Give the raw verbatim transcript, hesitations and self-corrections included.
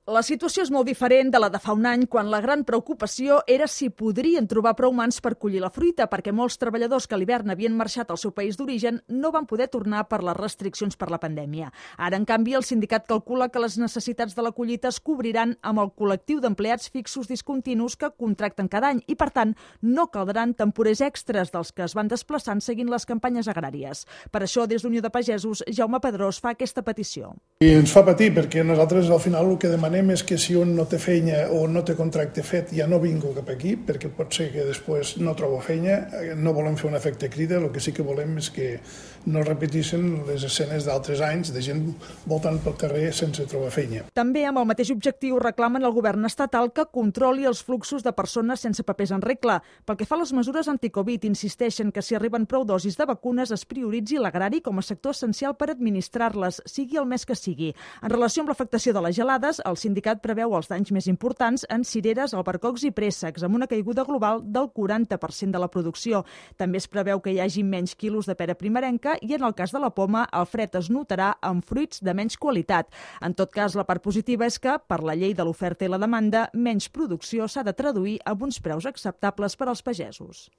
La situació és molt diferent de la de fa un any, quan la gran preocupació era si podrien trobar prou mans per collir la fruita, perquè molts treballadors que a l'hivern havien marxat al seu país d'origen no van poder tornar per les restriccions per la pandèmia. Ara, en canvi, el sindicat calcula que les necessitats de la collita es cobriran amb el col·lectiu d'empleats fixos discontinus que contracten cada any i, per tant, no caldran temporers extres dels que es van desplaçant seguint les campanyes agràries. Per això, des d'Unió de Pagesos, Jaume Pedrós fa aquesta petició. I ens fa patir perquè nosaltres al final el que demanem és que si un no té feina o no té contracte fet ja no vingo cap aquí, perquè pot ser que després no trobo feina. No volem fer un efecte crida, el que sí que volem és que no repetissin les escenes d'altres anys de gent voltant pel carrer sense trobar feina. També amb el mateix objectiu reclamen al govern estatal que controli els fluxos de persones sense papers en regla. Pel que fa a les mesures anticovid, insisteixen que si arriben prou dosis de vacunes es prioritzi l'agrari com a sector essencial per administrar-les, sigui el mes que sigui. En relació amb l'afectació de les gelades, el sindicat preveu els danys més importants en cireres, albercocs i préssecs, amb una caiguda global del quaranta per cent de la producció. També es preveu que hi hagi menys quilos de pera primerenca i, en el cas de la poma, el fred es notarà en fruits de menys qualitat. En tot cas, la part positiva és que, per la llei de l'oferta i la demanda, menys producció s'ha de traduir amb uns preus acceptables per als pagesos.